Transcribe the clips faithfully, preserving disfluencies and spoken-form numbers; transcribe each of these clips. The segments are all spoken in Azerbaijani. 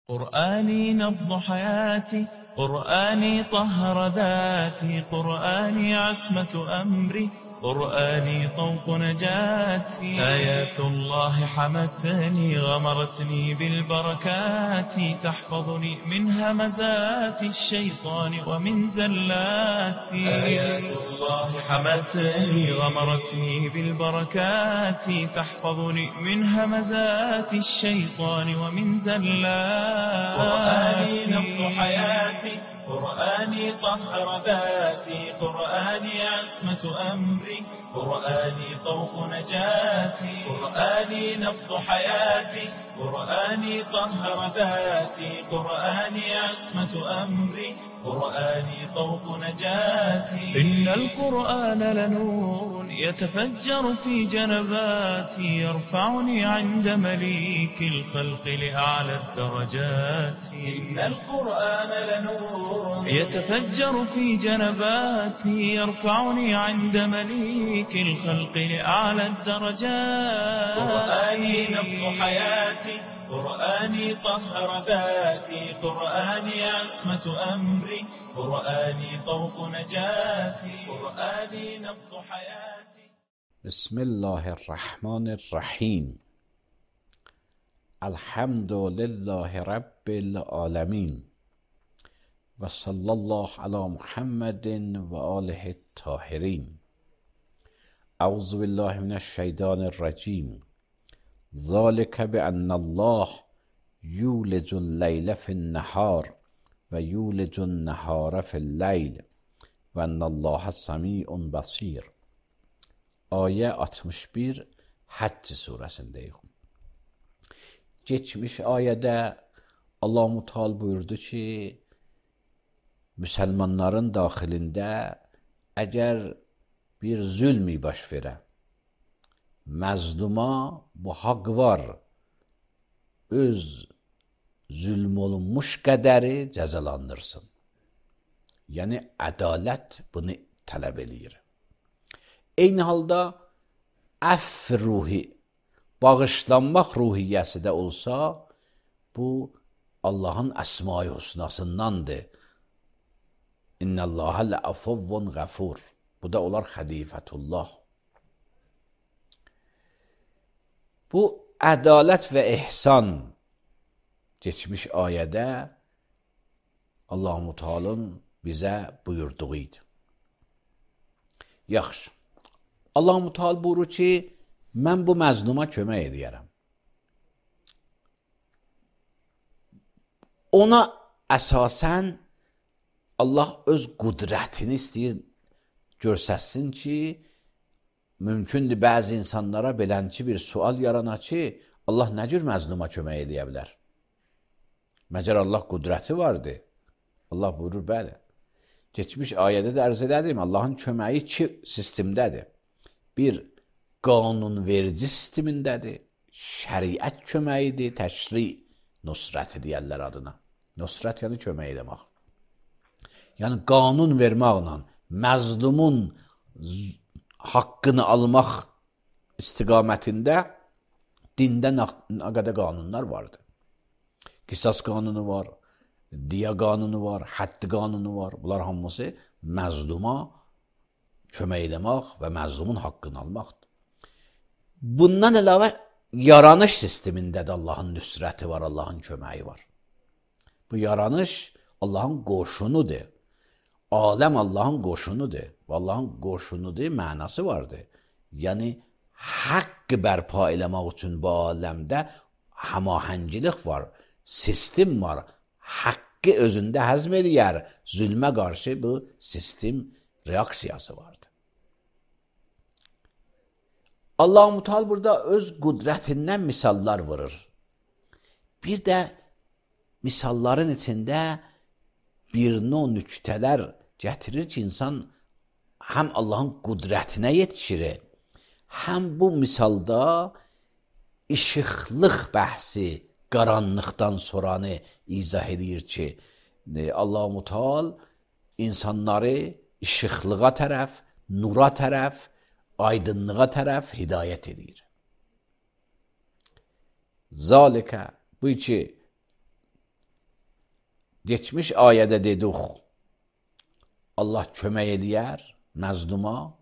قرآني نبض حياتي، قرآني طهر ذاتي، قرآني عصمة أمري، قرآني طوق نجاتي. آيات الله حمتني غمرتني بالبركات، تحفظني من همزات الشيطان ومن زلات. آيات الله حمتني غمرتني بالبركات، تحفظني من همزات الشيطان ومن زلات. قرآني نبض حياتي، قرآني طهر ذاتي، قرآني عصمة أمري، قرآني طوق نجاتي. قرآني نبض حياتي، قرآني طهر ذاتي، قرآني عصمة أمري، قرآني طوق نجاتي. إن القرآن لنور يتفجر في جنباتي، يرفعني عند مليك الخلق لأعلى الدرجات. إن القرآن لنور يتفجر في جنباتي، يرفعني عند مليك الخلق لأعلى الدرجات. قرآني نبض حياتي، قرآني طهر ذاتي، قرآني عصمة أمري، قرآني طوق نجاتي. قرآني نبض حياتي. بسم الله الرحمن الرحیم. الحمد لله رب العالمین و صلی الله علی محمد و آله الطاهرین. اعوذ بالله من الشیطان الرجیم. ذلك بأن الله یولج اللیل فی النهار و یولج النهار فی اللیل و ان الله سمیع بصیر. Ayə altmış bir Həcc surəsindəyik. Geçmiş ayədə Allah-u Teala buyurdu ki, müsəlmanların daxilində əgər bir zülmi baş verə, məzluma bu haqq var, öz zülm olunmuş qədəri cəzalandırsın. Yəni, ədalət bunu tələb eləyir. Eyni halda əff ruhi, bağışlanmaq ruhiyyəsi də olsa, bu Allahın əsma-i husnasındandır. İnnəlləhə ləəfuvvun qəfur. Bu da olar xəlifətullah. Bu ədalət və ihsan geçmiş ayədə Allah-u Teala'nın bizə buyurduğu idi. Yaxşı. Allah-u Teala buyurur ki, mən bu məzluma kömək edərəm. Ona əsasən Allah öz qüdrətini istəyir görsəsin ki, mümkündür bəzi insanlara belənçi bir sual yarana ki, Allah nə cür məzluma kömək edə bilər? Məgər Allah qüdrəti vardır? Allah buyurur, bəli. Geçmiş ayədə də ərz edədim, Allahın köməyi iki sistemdədir. Bir, qanunverici sistemindədir, şəriət köməyidir, təşri nusrəti deyərlər adına. Nusrət yəni kömək edəmək. Yəni, qanun verməklə məzlumun haqqını almaq istiqamətində dində nə qədər qanunlar vardır. Qisas qanunu var, diya qanunu var, həddi qanunu var. Bunlar hamısı məzluma kömək eləmək və məzlumun haqqını almaqdır. Bundan əlavə yaranış sistemində də Allahın nüsrəti var, Allahın köməyi var. Bu yaranış Allahın qoşunudur. Aləm Allahın qoşunudur. Və Allahın qoşunudur, mənası vardır. Yəni, haqqı bərpa eləmək üçün bu aləmdə həmahəngilik var, sistem var. Haqqı özündə həzm eləyər, zülmə qarşı bu sistem reaksiyası vardır. Allah-u Teala burada öz qüdrətindən misallar vurur. Bir də misalların içində bir növ nüktələr gətirir ki, insan həm Allahın qüdrətinə yetişir, həm bu misalda işıqlıq bəhsi, qaranlıqdan soranı izah edir ki, Allah-u Teala insanları işıqlığa tərəf, nura tərəf, aydınlığa tərəf hidayət edir. Zalikə, bu ki, Geçmiş ayədə dedik, Allah kömək eləyər məzluma,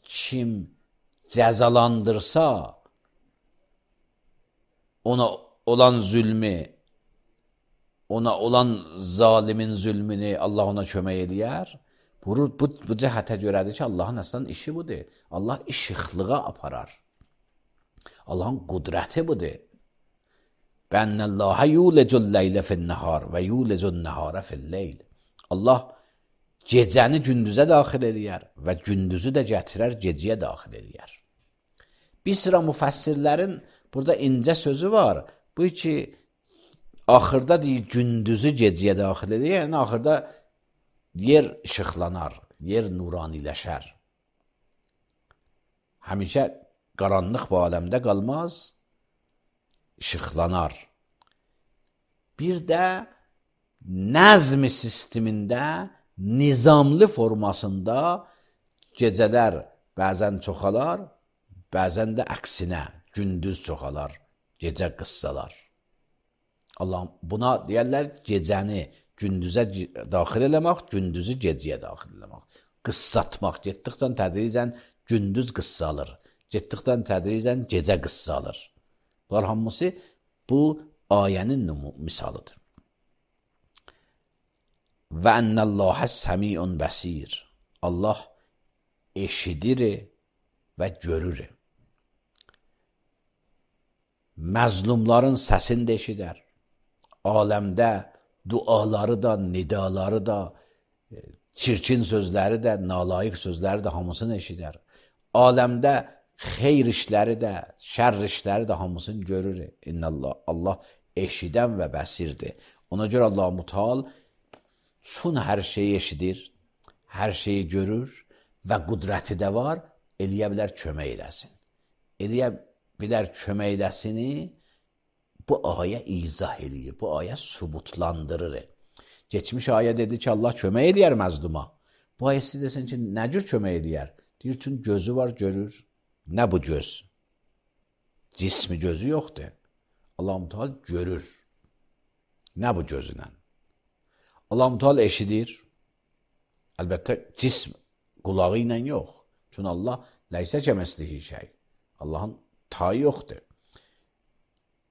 kim cəzalandırsa ona olan zülmü, ona olan zalimin zülmünü Allah ona kömək eləyər. Bu, bu, bu cəhətə görədir ki, Allahın əslən işi budur. Allah işıqlığa aparar. Allahın qudrəti budur. Bənnəllahə yulecul leylə fin-nəhar və yulecul nəhara fil-leyl. Allah gecəni gündüzə daxil eləyər və gündüzü də gətirər, gecəyə daxil eləyər. Bir sıra müfəssirlərin burada incə sözü var. Bu ki, axırda deyir, gündüzü gecəyə daxil eləyər, yəni axırda yer işıqlanar, yer nuraniləşər. Həmişə qaranlıq bu aləmdə qalmaz, işıqlanar. Bir də nəzm sistemində, nizamlı formasında gecələr bəzən çoxalar, bəzən də əksinə, gündüz çoxalar, gecə qıssalar. Allah buna deyərlər gecəni gündüzə daxil eləmək, gündüzü gecəyə daxil eləmək. Qıssatmaq, getdikdən tədricən gündüz qıssalır, getdikdən tədricən gecə qıssalır. Bunlar hamısı bu ayənin misalıdır. Və ennəllahə səmiun bəsir. Allah eşidir və görür. Məzlumların səsini də eşidər. Aləmdə duaları da, nidaları da, çirkin sözləri də, nalayiq sözləri də hamısını eşidər. Aləmdə xeyr işləri də, şərr işləri də hamısını görür. İnnəllah, Allah eşidən və bəsirdir. Ona görə Allah Müteal çün hər şeyi eşidir, hər şeyi görür və qudrəti də var, eləyə bilər kömək eləsin. Eləyə bilər kömək eləsini bu ayə izah eləyir, bu ayə sübutlandırır. Geçmiş ayə dedi ki, Allah kömək eləyər məzluma. Bu ayə siz desin ki, nə cür kömək eləyər? Deyir ki, gözü var, görür. Nə bu göz? Cismi gözü yoxdur. Allah-u Teala görür. Nə bu gözünlə? Allah-u Teala eşidir. Əlbəttə, cism qulağı ilə yox. Çünki Allah ləysə kəməslihi şey. Allahın tayı yoxdur.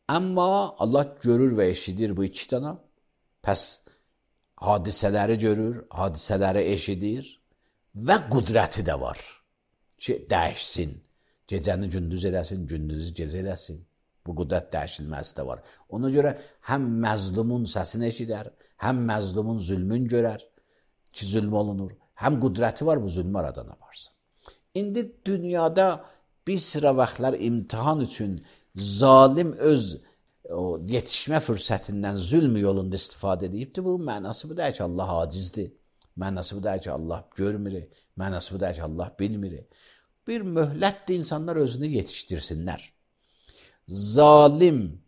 Amma Allah görür və eşidir bu iki dana. Pəs hadisələri görür, hadisələri eşidir və qudrəti də var ki, dəyişsin. Gecəni gündüz eləsin, gündüzü gecə eləsin. Bu qudrət dəyişilməsi də var. Ona görə həm məzlumun səsini eşidər, həm məzlumun zülmün görər ki, zülm olunur. Həm qudrəti var bu zülmü aradan aparsın. İndi dünyada bir sıra vaxtlar imtihan üçün zalim öz o, yetişmə fürsətindən zülm yolunda istifadə edibdir. Bu mənası bu deyir ki, Allah acizdir. Mənası bu deyir ki, Allah görmür. Mənası bu deyir ki, Allah bilmir. Bir möhlətdir insanlar özünü yetişdirsinlər. Zalim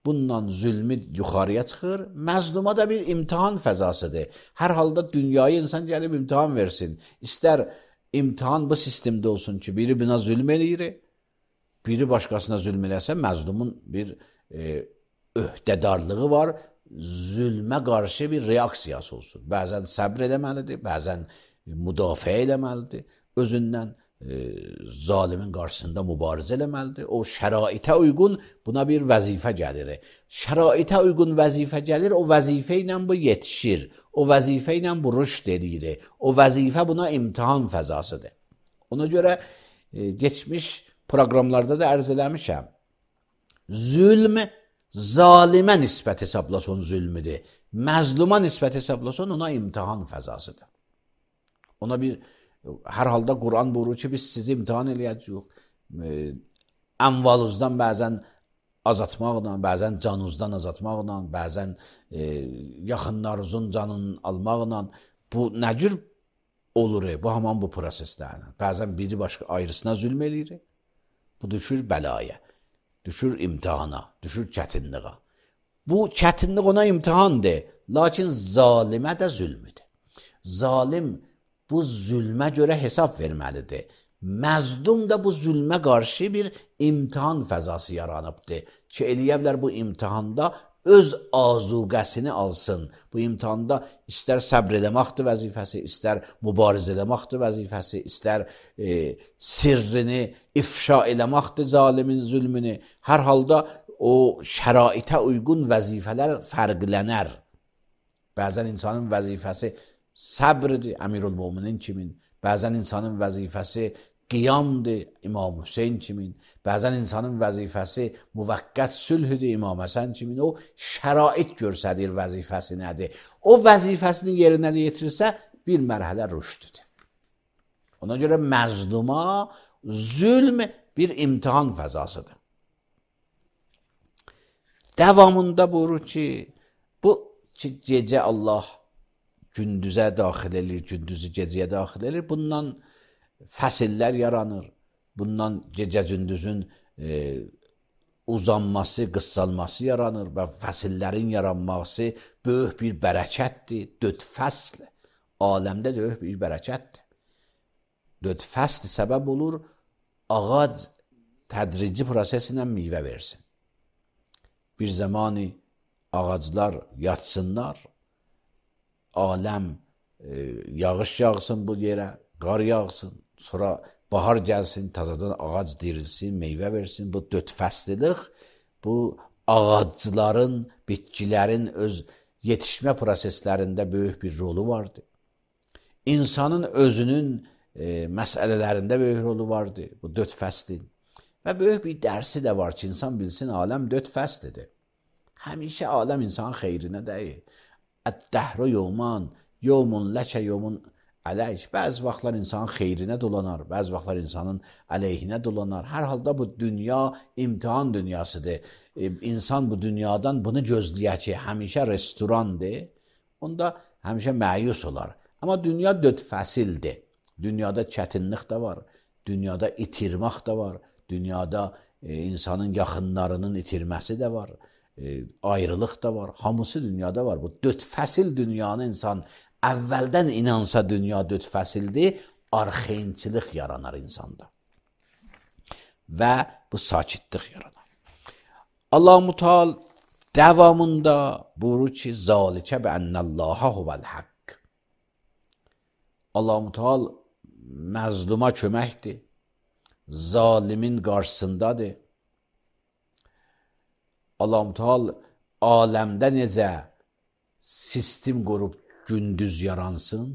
bundan zülmü yuxarıya çıxır. Məzluma da bir imtihan fəzasıdır. Hər halda dünyayı insan gəlib imtihan versin. İstər imtihan bu sistemdə olsun ki, biri buna zülm eləyir, biri başqasına zülm eləsə, məzlumun bir e, öhdədarlığı var, zülmə qarşı bir reaksiyası olsun. Bəzən səbr eləməlidir, bəzən müdafiə eləməlidir, özündən e, zalimin qarşısında mübarizə eləməlidir. O şəraitə uyğun buna bir vəzifə gəlir. Şəraitə uyğun vəzifə gəlir, o vəzifə ilə bu yetişir, o vəzifə ilə bu rüşd edir, o vəzifə buna imtihan fəzasıdır. Ona görə e, geçmiş proqramlarda da ərz eləmişəm. Zülm zalimə nisbət hesablason zülmüdür. Məzluma nisbət hesablason ona imtihan fəzasıdır. Ona bir, hər halda Quran buyurur ki, biz sizi imtihan eləyəcəyik. E, əmvaluzdan bəzən azatmaqla, bəzən canunuzdan azatmaqla, bəzən e, yaxınlarınızın canını almaqla. Bu nə cür olur? Bu haman bu proseslərlə. Bəzən biri başqa ayrısına zülm eləyir. Bu düşür bəlaya, düşür imtihana, düşür çətinliğə. Bu çətinlik ona imtihandır, lakin zalimə də zülmüdür. Zalim bu zülmə görə hesab verməlidir. Məzlum da bu zülmə qarşı bir imtihan fəzası yaranıbdır ki, eləyə bilər bu imtihanda öz azuqəsini alsın. Bu imtihanda istər səbr eləməkdir vəzifəsi, istər mübarizə eləməkdir vəzifəsi, istər e, sirrini ifşa eləməkdir zalimin zülmünü. Hər halda o şəraitə uyğun vəzifələr fərqlənər. Bəzən insanın vəzifəsi səbrdir, Əmirülmöminin kimin. Bəzən insanın vəzifəsi qiyamdır, İmam Hüseyn kimin. Bəzən insanın vəzifəsi müvəqqət sülhüdür, İmam Həsən kimin. O şərait göstərir vəzifəsi nədir. O vəzifəsini yerinə yetirirsə bir mərhələ rüşdüdür. Ona görə məzluma zülm bir imtihan fəzasıdır. Davamında buyurur ki, bu ki, gecə Allah gündüzə daxil edir, gündüzü gecəyə daxil edir. Bundan fəsillər yaranır. Bundan gecə-gündüzün e, uzanması, qıssalması yaranır və fəsillərin yaranması böyük bir bərəkətdir. Dörd fəsl aləmdə böyük bir bərəkətdir. Dörd fəsl səbəb olur, ağac tədrici proseslə meyvə versin. Bir zamanı ağaclar yatsınlar, aləm e, yağış yağsın bu yerə, qar yağsın, sonra bahar gəlsin, tazadan ağac dirilsin, meyvə versin. Bu dörd fəslilik, bu ağacların, bitkilərin öz yetişmə proseslərində böyük bir rolu vardır. İnsanın özünün e, məsələlərində böyük rolu vardır, bu dörd fəslin. Və böyük bir dərsi də var ki, insan bilsin, aləm dörd fəslidir. Həmişə aləm insanın xeyrinə deyil. Ət-dəhru yevman, yevmun ləkə, yevmun əleyh. Bəzi vaxtlar insanın xeyrinə dolanar, bəzi vaxtlar insanın əleyhinə dolanar. Hər halda bu dünya imtihan dünyasıdır. E, insan bu dünyadan bunu gözləyər ki, həmişə restorandır, onda həmişə məyus olar. Amma dünya dörd fəsildir. Dünyada çətinlik də var, dünyada itirmək də var, dünyada e, insanın yaxınlarının itirməsi də var. E, ayrılıq da var, hamısı dünyada var. Bu dörd fəsil dünyanı insan əvvəldən inansa dünya dörd fəsildir, arxeynçilik yaranar insanda. Və bu sakitlik yaranar. Allah-u Teala davamında buyurur ki, zalikə bi ennəllaha huvel haqq. Allah-u Teala məzluma köməkdir, zalimin qarşısındadır. Allah-u Teala aləmdə necə sistem qurub gündüz yaransın,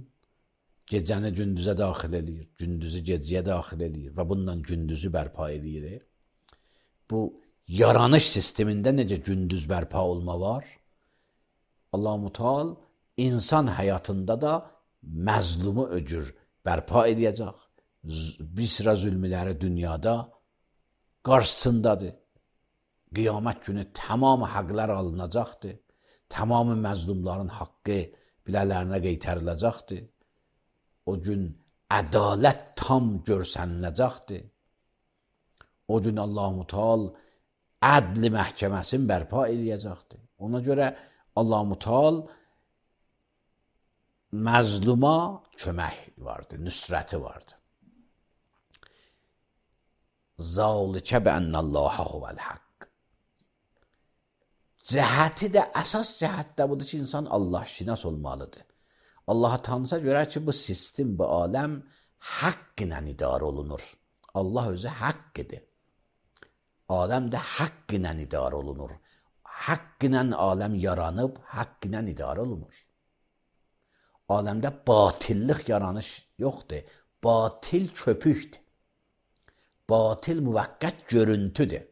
gecəni gündüzə daxil edir, gündüzü gecəyə daxil edir və bundan gündüzü bərpa edir. Bu yaranış sistemində necə gündüz bərpa olma var? Allah-u Teala insan həyatında da məzlumu öcür bərpa edəcək. Bir sıra zülmləri dünyada qarşısındadır. Qiyamət günü tamamı haqlar alınacaqdır. Tamamı məzlumların haqqı bilələrine qeytəriləcəkdir. O gün ədalət tam görsəniləcəkdir. O gün Allah-u Teala ədli məhkəməsini bərpa edəcəkdir. Ona görə Allah-u Teala məzluma kömək vardır, nüsrəti vardır. Zalikə bi ennəllaha huvel haqq. Cəhəti də, əsas cəhət də budur ki, insan Allah şinas olmalıdır. Allah'a tanısa görə ki, bu sistem, bu aləm haqq ilə idarə olunur. Allah özü haqq idi. Aləm də haqq ilə idarə olunur. Haqq ilə aləm yaranıb, haqq ilə idarə olunur. Aləmdə batillik yaranış yoxdur. Batil köpükdür. Batil müvəqqət görüntüdür.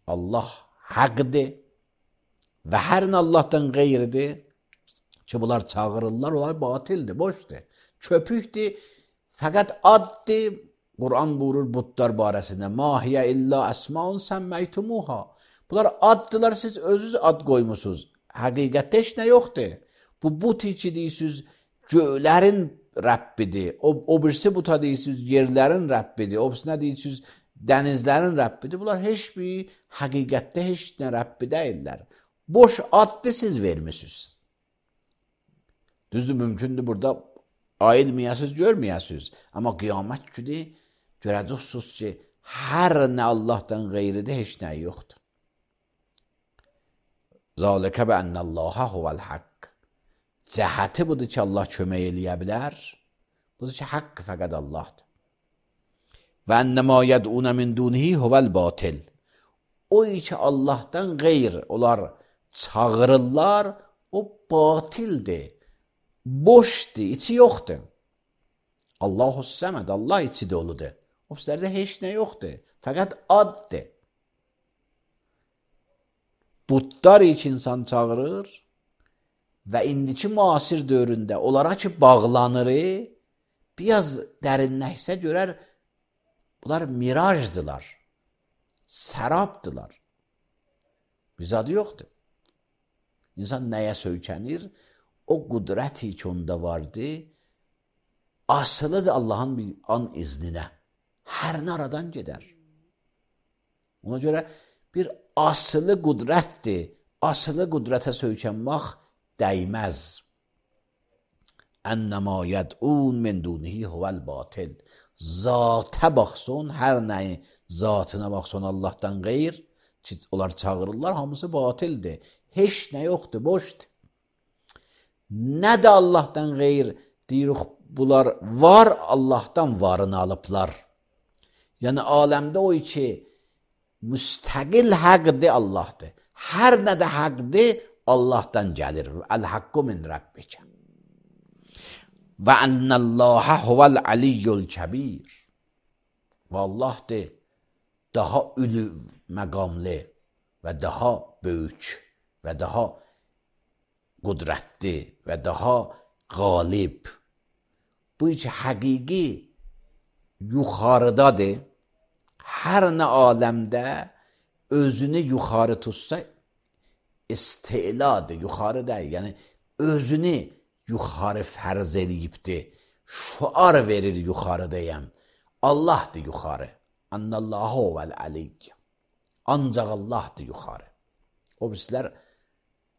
Allah haqdır və hər nə Allahdan qeyridir ki, bunlar çağırırlar, onlar batildir, boşdur, köpükdür, fəqət addır. Quran buyurur budlar barəsində, mahiyə illə əsmaun səmməytumuha. Bunlar addılar, siz özünüz ad qoymusunuz. Həqiqətdə heç nə yoxdur. Bu but içi deyirsiniz, göylərin Rəbbidir. O, o birisi buta deyirsiniz, yerlərin Rəbbidir. O birisi nə deyirsiniz, dənizlərin Rəbbidir. Bunlar heç bir həqiqətdə heç nə Rəbbi deyirlər. Boş addı siz vermişsiniz. Düzdür, mümkündür burada ayılmayasınız, görməyəsiniz. Amma qiyamət günü görəcəksiniz ki, hər nə Allahdan qeyridir, heç nə yoxdur. Zalika bi ennəllaha huvəl haqq. Cəhəti budur ki, Allah kömək eləyə bilər. Budur ki, haqq fəqət Allahdır. Və ennəmə yəd'unə min dunihi huvəl batil. O ki, Allahdan qeyr onlar çağırırlar, o batildir, boşdur, içi yoxdur. Allahu səməd, Allah içi doludur. O bizlərdə heç nə yoxdur, fəqət addır. Budlar ki, insan çağırır və indiki müasir dövründə onlara ki, bağlanır, biraz dərinləşsə görər, bunlar mirajdılar, sərabdılar. Bir zadı yoxdur. İnsan nəyə söykənir? O qudrəti ki, onda vardı, asılıdır Allahın bir an izninə. Hər nə aradan gedər. Ona görə bir asılı qudrətdir. Asılı qudrətə söykənmək dəyməz. Ennəmə yəd'un min dunihi huvəl batil. Zatə baxsın, hər nəyi zatına baxsın Allahdan qeyr, ki, onlar çağırırlar, hamısı batildir. Heç nə yoxdur, boşdur. Nə də Allahdan qeyr deyirik, bunlar var, Allahdan varını alıblar. Yəni, aləmdə o ki, müstəqil həqdir Allahdır. Hər nə də həqdir, Allahdan gəlir. Əl-haqqu min Rabbikə. Və ennəlləhə huvəl aliyyul kəbir. Və Allahdır, daha ülü məqamlı və daha böyük və daha qudrətli və daha qalib. Bu ki, həqiqi yuxarıdadır. Hər nə aləmdə özünü yuxarı tutsa istiladır, yuxarı deyil. Yəni, özünü yuxarı fərz eləyibdir. Şuar verir yuxarıdayım. Allahdır yuxarı. Annallahu vəl aliyyə. Ancaq Allahdır yuxarı. O bizlər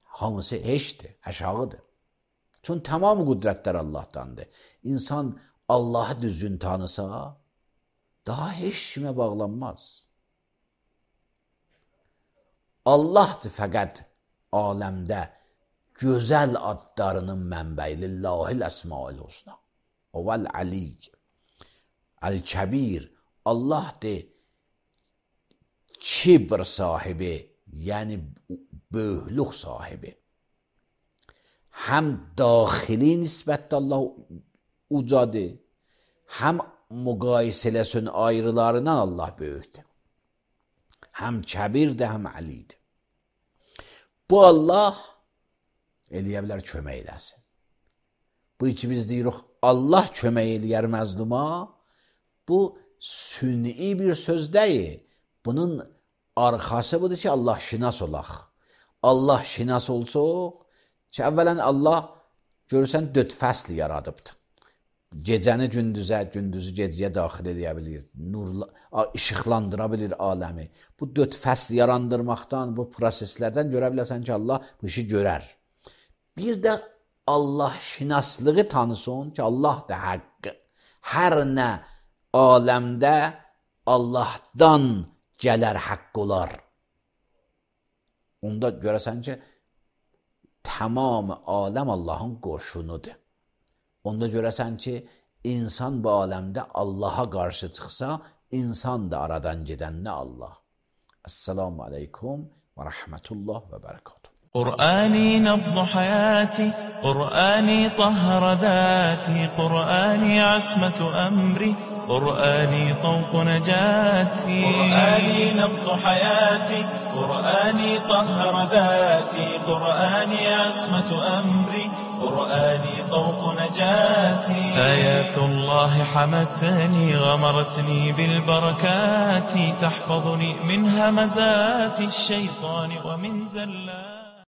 hamısı heçdir, aşağıdır. Çünki tamam qüdrətlər Allahdandır. İnsan Allahı düzgün tanısa, daha heç kimə bağlanmaz. Allahdır fəqət aləmdə gözəl adlarının mənbəyi. Lillahil əsmail husna. O vəl aliyyə. Əl-kəbir. Allahdır kibr sahibi, yəni böyüklük sahibi. Həm daxili nisbətdə Allah ucadır, həm müqayisələsin ayrılarından Allah böyükdür. Həm kəbirdir, həm əlidir. Bu Allah eləyə bilər kömək eləsin. Bu ki biz deyirik, Allah kömək eləyər məzluma, bu sünni bir söz deyil. Bunun arxası budur ki, Allah şinas olaq. Allah şinas olsaq, ki, əvvələn Allah görürsən dörd fəsl yaradıbdır. Gecəni gündüzə, gündüzü gecəyə daxil edə bilir, nurla, işıqlandıra bilir aləmi. Bu dörd fəsl yarandırmaqdan, bu proseslərdən görə bilərsən ki, Allah bu işi görər. Bir də Allah şinaslığı tanısın ki, Allah da haqqı. Hər nə aləmdə Allahdan gələr haqq olar. Onda görəsən ki, tamam aləm Allahın qoşunudur. Onda görəsən ki, insan bu aləmdə Allaha qarşı çıxsa, insan da aradan gedənlə Allah. Esselamu aleykum və rəhmətullah və bərəkatuhu. قرآني نبض حياتي قرآني طهر ذاتي قرآني عصمة أمري قرآني طوق نجاتي قرآني نبض حياتي قرآني طهر ذاتي قرآني عصمة أمري قرآني طوق نجاتي آيات الله حمتني غمرتني بالبركات تحفظني من همزات الشيطان ومن زلات